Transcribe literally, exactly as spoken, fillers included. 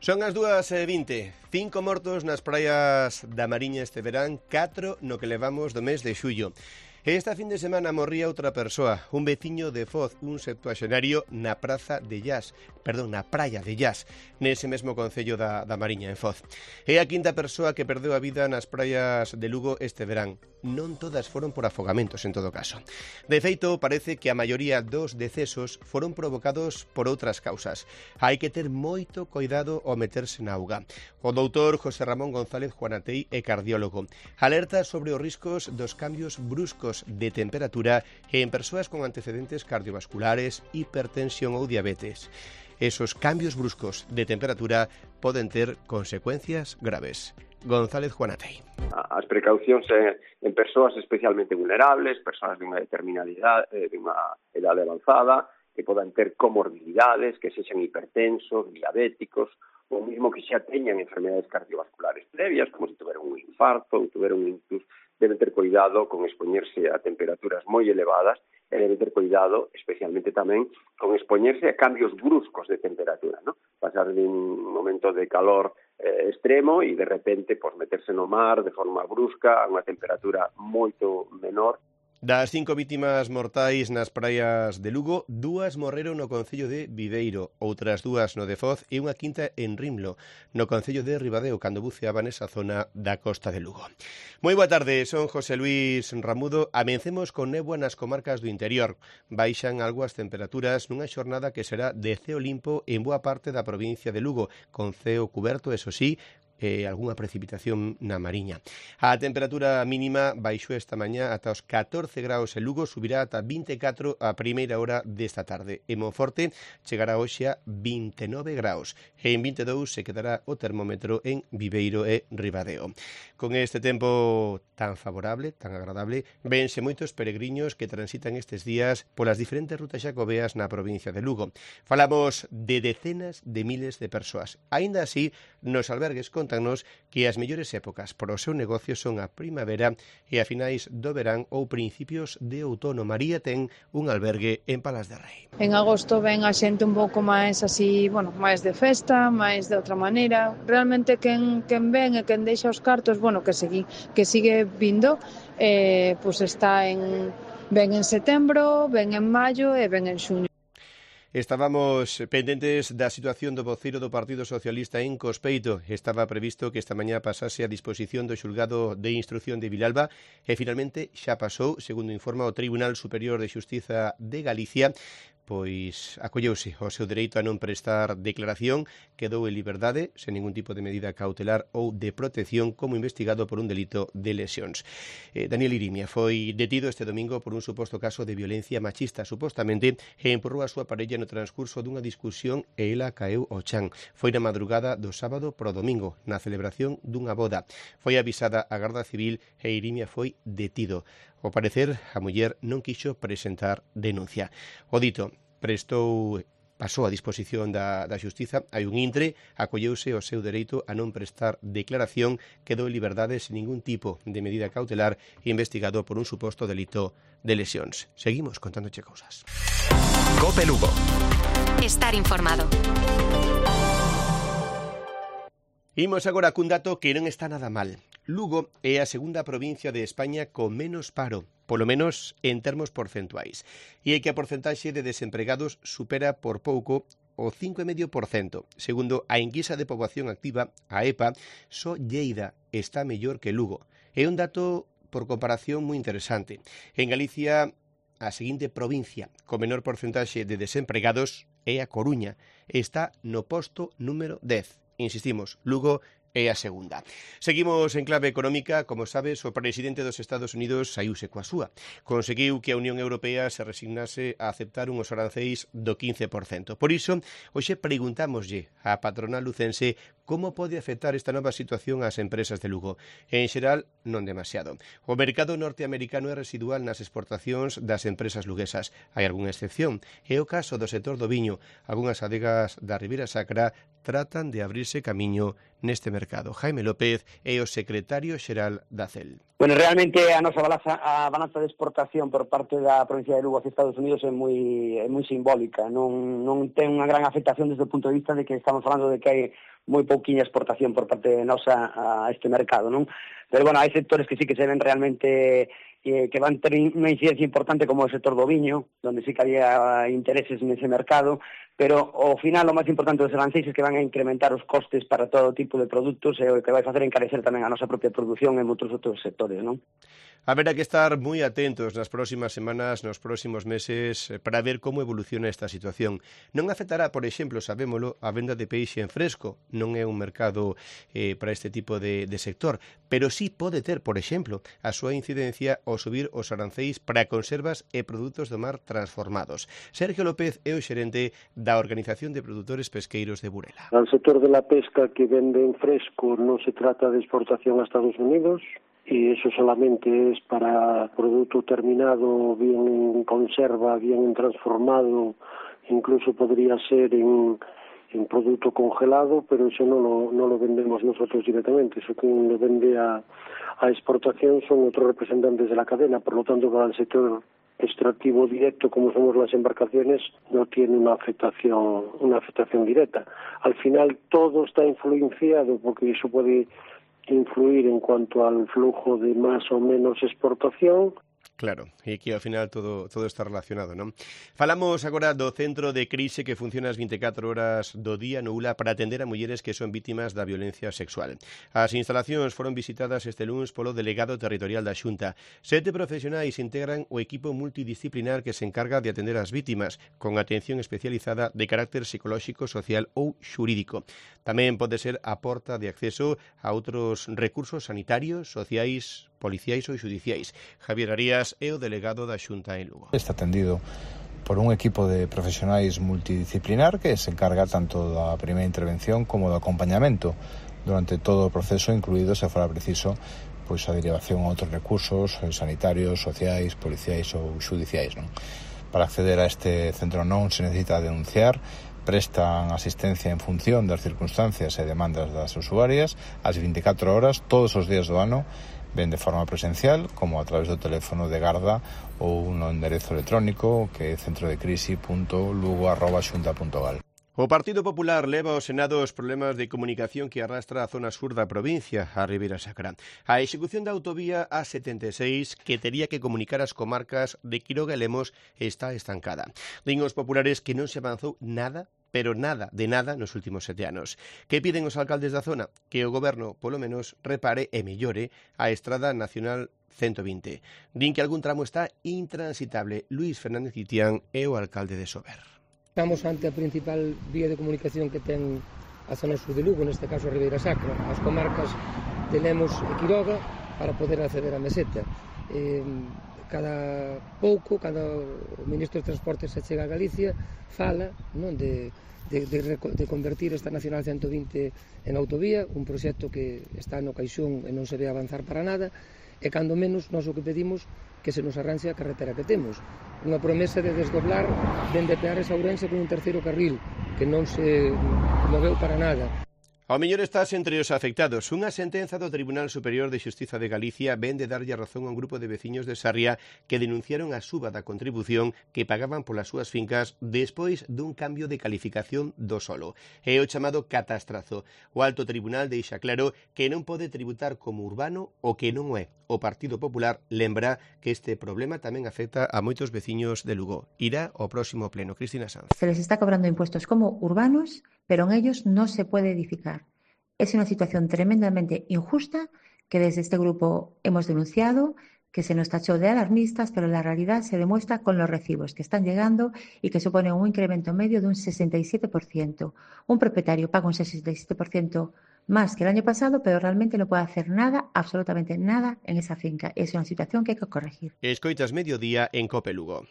Son as dúas e vinte. Cinco mortos nas praias da Mariña este verán, catro no que levamos do mes de xullo. Esta fin de semana morría outra persoa, un veciño de Foz, un septuaxenario na praza de Llas, perdón, na praia de Llas, nese mesmo concello da, da Mariña, en Foz. É a quinta persoa que perdeu a vida nas praias de Lugo este verán. Non todas foron por afogamentos, en todo caso. De feito, parece que a maioría dos decesos foron provocados por outras causas. Hai que ter moito cuidado ao meterse na auga. O doutor José Ramón González Juanatei é cardiólogo. Alerta sobre os riscos dos cambios bruscos de temperatura en persoas con antecedentes cardiovasculares, hipertensión ou diabetes. Esos cambios bruscos de temperatura poden ter consecuencias graves. González Juanatei. As precaucións en, en persoas especialmente vulnerables, persoas de unha determinada idade, de unha idade avanzada, que podan ter comorbilidades, que sexan hipertensos, diabéticos, ou mesmo que xa teñan enfermedades cardiovasculares previas, como se tuveron un infarto ou tuveron un ictus, deben ter cuidado con expoñerse a temperaturas moi elevadas e deben ter cuidado especialmente tamén con expoñerse a cambios bruscos de temperatura, ¿no? Pasar de un momento de calor eh, extremo e de repente pues, meterse no mar de forma brusca a unha temperatura moito menor. Das cinco vítimas mortais nas praias de Lugo, dúas morreron no concello de Viveiro, outras dúas no de Foz e unha quinta en Rimlo, no concello de Ribadeo, cando buceaba nesa zona da costa de Lugo. Moi boa tarde, son José Luis Ramudo. Amencemos con néboa nas comarcas do interior. Baixan algo as temperaturas nunha xornada que será de ceo limpo en boa parte da provincia de Lugo, con ceo cuberto, eso sí, e algunha precipitación na Mariña. A temperatura mínima baixou esta mañá ata os catorce graus en Lugo, subirá ata vinte e catro a primeira hora desta tarde. En Monforte chegará hoxe a vinte e nove graus e en vinte e dous se quedará o termómetro en Viveiro e Ribadeo. Con este tempo tan favorable, tan agradable, vense moitos peregriños que transitan estes días polas diferentes rutas xacobeas na provincia de Lugo. Falamos de decenas de miles de persoas. Aínda así, nos albergues con contanos que as mellores épocas para o seu negocio son a primavera e a finais do verán ou principios de outono. María ten un albergue en Palas de Rei. En agosto ven a xente un pouco máis así, bueno, máis de festa, máis de outra maneira. Realmente quen, quen ven e quen deixa os cartos, bueno, que, segui, que sigue vindo, eh, pues está en, ven en setembro, ven en maio e ven en xuño. Estábamos pendentes da situación do voceiro do Partido Socialista en Cospeito. Estaba previsto que esta mañá pasase a disposición do xulgado de instrucción de Vilalba e finalmente xa pasou, segundo informa o Tribunal Superior de Xustiza de Galicia, pois acolleuse ao seu dereito a non prestar declaración, quedou en liberdade, sen ningún tipo de medida cautelar ou de protección como investigado por un delito de lesións. Eh, Daniel Irimia foi detido este domingo por un suposto caso de violencia machista, supostamente empurrou a súa parella no transcurso dunha discusión e ela caeu ao chan. Foi na madrugada do sábado pro domingo, na celebración dunha boda. Foi avisada a Garda Civil e Irimia foi detido. Ao parecer, a muller non quixo presentar denuncia. O dito prestou pasou a disposición da, da xustiza, hai un intre, acolleuse o seu dereito a non prestar declaración, quedou en liberdade sen ningún tipo de medida cautelar investigado por un suposto delito de lesións. Seguimos contándoche cousas. Cope Lugo. Estar informado. Imos agora cun dato que non está nada mal. Lugo é a segunda provincia de España con menos paro, polo menos en termos porcentuais, e é que a porcentaxe de desempregados supera por pouco o cinco vírgula cinco por cento. Segundo a enquisa de poboación activa, a E P A, só Lleida está mellor que Lugo. É un dato por comparación moi interesante. En Galicia, a seguinte provincia con menor porcentaxe de desempregados é a Coruña. Está no posto número dez. Insistimos, Lugo é a segunda. Seguimos en clave económica. Como sabes, o presidente dos Estados Unidos saíuse coa súa. Conseguiu que a Unión Europea se resignase a aceptar unhos aranceis do quince por cento. Por iso, hoxe preguntámoslle á patronal lucense como pode afectar esta nova situación ás empresas de Lugo. En xeral, non demasiado. O mercado norteamericano é residual nas exportacións das empresas luguesas. Hai algunha excepción. É o caso do sector do viño. Algúnas adegas da Ribeira Sacra tratan de abrirse camiño neste mercado. Jaime López é o secretario xeral da C E L. Bueno, realmente a nosa balanza, a balanza de exportación por parte da provincia de Lugo hacia Estados Unidos é moi, é moi simbólica, non, non ten unha gran afectación desde o punto de vista de que estamos falando de que hai moi pouquinha exportación por parte de nosa a este mercado, non? Pero, bueno, hai sectores que sí que se ven realmente eh, que van ter unha incidencia importante como o sector do viño, onde sí que había intereses nese mercado, pero ao final o máis importante dos aranceis é que van a incrementar os costes para todo tipo de produtos e o que vai facer encarecer tamén a nosa propia produción en outros outros sectores, non? Haberá que estar moi atentos nas próximas semanas, nos próximos meses, para ver como evoluciona esta situación. Non afectará, por exemplo, sabémolo, a venda de peixe en fresco, non é un mercado eh, para este tipo de, de sector, pero sí pode ter, por exemplo, a súa incidencia ao subir os aranceis para conservas e produtos do mar transformados. Sergio López é o xerente da Organización de Produtores Pesqueiros de Burela. Al sector de la pesca que vende en fresco no se trata de exportación a Estados Unidos, y eso solamente es para producto terminado, bien en conserva, bien en transformado, incluso podría ser en, en producto congelado, pero eso no lo, no lo vendemos nosotros directamente, eso quien lo vende a, a exportación son otros representantes de la cadena, por lo tanto para el sector extractivo directo como somos las embarcaciones no tiene una afectación, una afectación directa. Al final todo está influenciado porque eso puede influir en cuanto al flujo de más o menos exportación. Claro, e aquí ao final todo todo está relacionado, non? Falamos agora do centro de crise que funciona as vinte e catro horas do día no U L A para atender a mulleres que son vítimas da violencia sexual. As instalacións foron visitadas este lunes polo delegado territorial da Xunta. Sete profesionais integran o equipo multidisciplinar que se encarga de atender as vítimas, con atención especializada de carácter psicolóxico, social ou xurídico. Tamén pode ser a porta de acceso a outros recursos sanitarios, sociais, policiais ou xudiciais. Javier Arias é o delegado da Xunta en Lugo. Está atendido por un equipo de profesionais multidisciplinar que se encarga tanto da primeira intervención como do acompañamento durante todo o proceso, incluído, se fora preciso, pois a derivación a outros recursos sanitarios, sociais, policiais ou xudiciais, non? Para acceder a este centro non se necesita denunciar, prestan asistencia en función das circunstancias e demandas das usuarias ás vinte e catro horas, todos os días do ano, ben de forma presencial, como a través do teléfono de garda ou no enderezo electrónico que é centrodecrisi punto lugo arroba xunta punto gal. O Partido Popular leva ao Senado os problemas de comunicación que arrastra a zona sur da provincia, a Ribeira Sacra. A execución da autovía A setenta e seis, que tería que comunicar as comarcas de Quiroga e Lemos, está estancada. Din os populares que non se avanzou nada, pero nada, de nada, nos últimos sete anos. Que piden os alcaldes da zona? Que o goberno, polo menos, repare e mellore a Estrada Nacional ciento vinte. Din que algún tramo está intransitable. Luís Fernández Itián é o alcalde de Sober. Estamos ante a principal vía de comunicación que ten a zona sur de Lugo, neste caso a Ribeira Sacra, as comarcas de Lemos e Quiroga, para poder acceder á meseta. Eh, cada pouco, cada o ministro de Transportes se chega a Galicia, fala, non, de, de, de, de convertir esta Nacional ciento vinte en autovía, un proxecto que está no caixón e non se ve avanzar para nada, e cando menos nós o que pedimos que se nos arranxe a carretera que temos. Unha promesa de desdoblar dende Peares a Ourense con un terceiro carril, que non se moveu para nada. Ao mellor estás entre os afectados. Unha sentenza do Tribunal Superior de Xustiza de Galicia ven de darlle a razón a un grupo de veciños de Sarria que denunciaron a suba da contribución que pagaban polas súas fincas despois dun cambio de calificación do solo. É o chamado catastrazo. O Alto Tribunal deixa claro que non pode tributar como urbano o que non é. O Partido Popular lembra que este problema tamén afecta a moitos veciños de Lugo. Irá ao próximo pleno. Cristina Sanz. Se les está cobrando impuestos como urbanos, pero en ellos no se puede edificar. Es una situación tremendamente injusta que desde este grupo hemos denunciado, que se nos tachó de alarmistas, pero la realidad se demuestra con los recibos que están llegando y que suponen un incremento medio de un sesenta y siete por ciento. Un propietario paga un sesenta y siete por ciento más que el año pasado, pero realmente no puede hacer nada, absolutamente nada, en esa finca. Es una situación que hay que corregir. Escoitas Mediodía en Cope Lugo.